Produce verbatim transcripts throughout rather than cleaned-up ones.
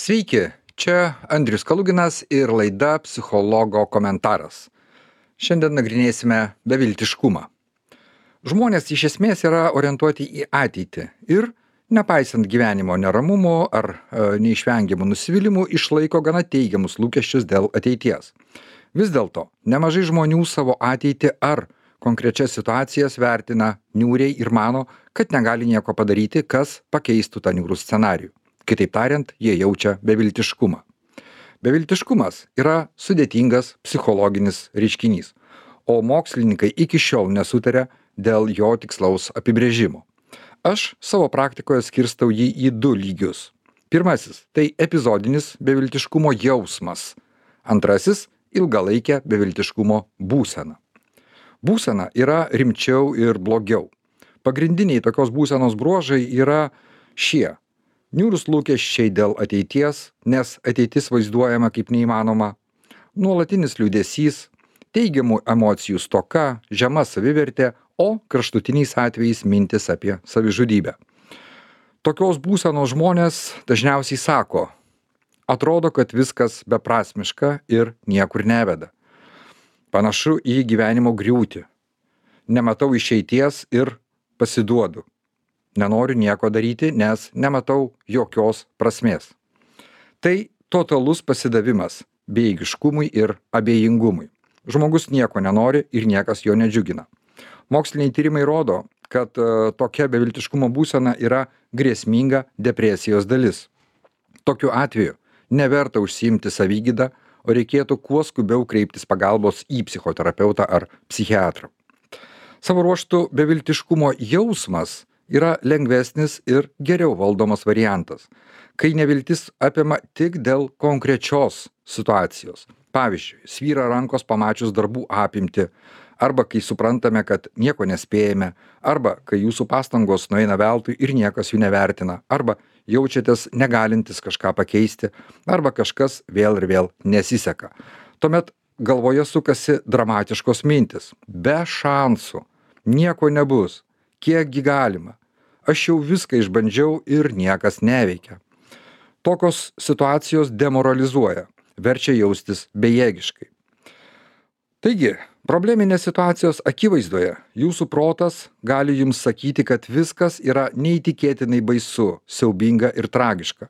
Sveiki, čia Andrius Kaluginas ir laida Psichologo komentaras. Šiandien nagrinėsime beviltiškumą. Žmonės iš esmės yra orientuoti į ateitį ir, nepaisant gyvenimo neramumo ar e, neišvengiamų nusivylimų, išlaiko gana teigiamus lūkesčius dėl ateities. Vis dėlto, nemažai žmonių savo ateitį ar konkrečias situacijas vertina niūriai ir mano, kad negali nieko padaryti, kas pakeistų tą niūrų scenarijų. Kitaip tariant, jie jaučia beviltiškumą. Beviltiškumas yra sudėtingas psichologinis reiškinys, o mokslininkai iki šiol nesutarė dėl jo tikslaus apibrėžimo. Aš savo praktikoje skirstau jį į du lygius. Pirmasis – tai epizodinis beviltiškumo jausmas. Antrasis – ilgalaikė beviltiškumo būsena. Būsena yra rimčiau ir blogiau. Pagrindiniai tokios būsenos bruožai yra šie. Niūrūs lūkesčiai dėl ateities, nes ateitis vaizduojama kaip neįmanoma, nuolatinis liūdesys, teigiamų emocijų stoka, žema savivertė, o kraštutiniais atvejais mintis apie savižudybę. Tokios būsenos žmonės dažniausiai sako, atrodo, kad viskas beprasmiška ir niekur neveda. Panašu į gyvenimo griūtį. Nematau išeities ir pasiduodu. Nenoriu nieko daryti, nes nematau jokios prasmės. Tai totalus pasidavimas bejėgiškumui ir abejingumui. Žmogus nieko nenori ir niekas jo nedžiugina. Moksliniai tyrimai rodo, kad uh, tokia beviltiškumo būsena yra grėsminga depresijos dalis. Tokiu atveju neverta užsiimti savigydą, o reikėtų kuo skubiau kreiptis pagalbos į psichoterapeutą ar psichiatrą. Savo ruožtu beviltiškumo jausmas yra lengvesnis ir geriau valdomas variantas, kai neviltis apima tik dėl konkrečios situacijos. Pavyzdžiui, svyra rankos pamačius darbų apimtį, arba kai suprantame, kad nieko nespėjame, arba kai jūsų pastangos nueina veltui ir niekas jų nevertina, arba jaučiatės negalintis kažką pakeisti, arba kažkas vėl ir vėl nesiseka. Tuomet galvoje sukasi dramatiškos mintis. Be šansų. Nieko nebus. Kiekgi galima? Aš jau viską išbandžiau ir niekas neveikia. Tokios situacijos demoralizuoja, verčia jaustis bejėgiškai. Taigi, probleminės situacijos akivaizdoje jūsų protas gali jums sakyti, kad viskas yra neįtikėtinai baisu, siaubinga ir tragiška.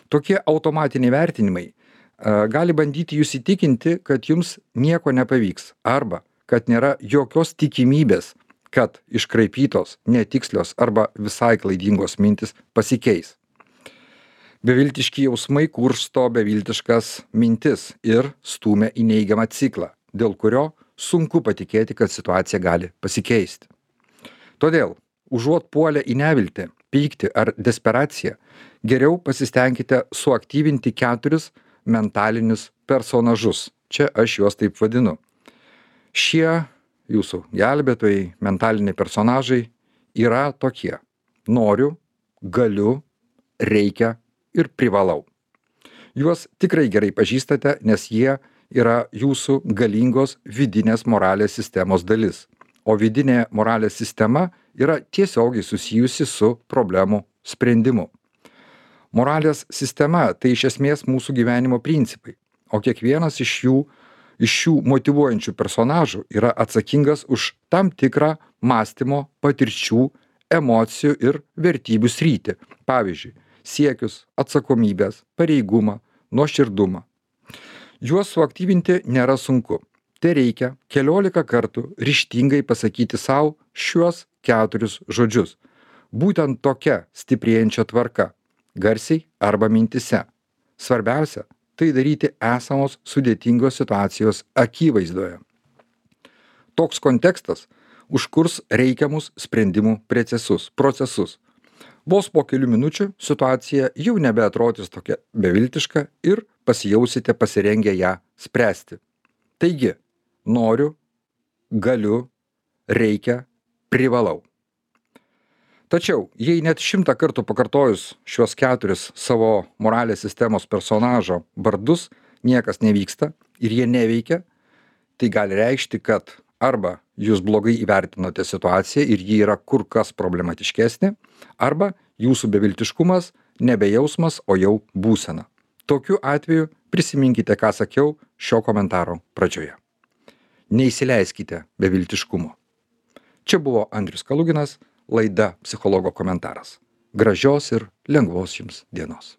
Tokie automatiniai vertinimai a, gali bandyti jūs įtikinti, kad jums nieko nepavyks arba kad nėra jokios tikimybės, kad iškraipytos, netikslios arba visai klaidingos mintis pasikeis. Beviltiški jausmai kursto beviltiškas mintis ir stūmia į neigiamą ciklą, dėl kurio sunku patikėti, kad situacija gali pasikeisti. Todėl, užuot puolę į neviltį, pyktį ar desperaciją, geriau pasistengkite suaktyvinti keturis mentalinius personažus. Čia aš juos taip vadinu. Šie jūsų gelbėtojai, mentaliniai personažai yra tokie. Noriu, galiu, reikia ir privalau. Juos tikrai gerai pažįstate, nes jie yra jūsų galingos vidinės moralės sistemos dalis. O vidinė moralės sistema yra tiesiogiai susijusi su problemų sprendimu. Moralės sistema tai iš esmės mūsų gyvenimo principai, o kiekvienas iš jų iš šių motyvuojančių personažų yra atsakingas už tam tikrą mąstymo, patirčių, emocijų ir vertybių sritį. Pavyzdžiui, siekius, atsakomybės, pareigumą, nuoširdumą. Juos suaktyvinti nėra sunku. Tai reikia keliolika kartų ryžtingai pasakyti savo šiuos keturis žodžius. Būtent tokia stiprėjančia tvarka, garsiai arba mintise. Svarbiausia, tai daryti esamos sudėtingos situacijos akivaizdoje. Toks kontekstas užkurs reikiamus sprendimų procesus, procesus. Vos po kelių minučių situacija jau nebeatrodys tokia beviltiška ir pasijausite pasirengę ją spręsti. Taigi, noriu, galiu, reikia, privalau. Tačiau, jei net šimtą kartų pakartojus šios keturis savo moralės sistemos personažo vardus niekas nevyksta ir jie neveikia, tai gali reikšti, kad arba jūs blogai įvertinote situaciją ir ji yra kur kas problematiškesnė, arba jūsų beviltiškumas nebe jausmas, o jau būsena. Tokiu atveju prisiminkite, ką sakiau šio komentaro pradžioje. Neįsileiskite beviltiškumo. Čia buvo Andrius Kaluginas, laida Psichologo komentaras. Gražios ir lengvos jums dienos.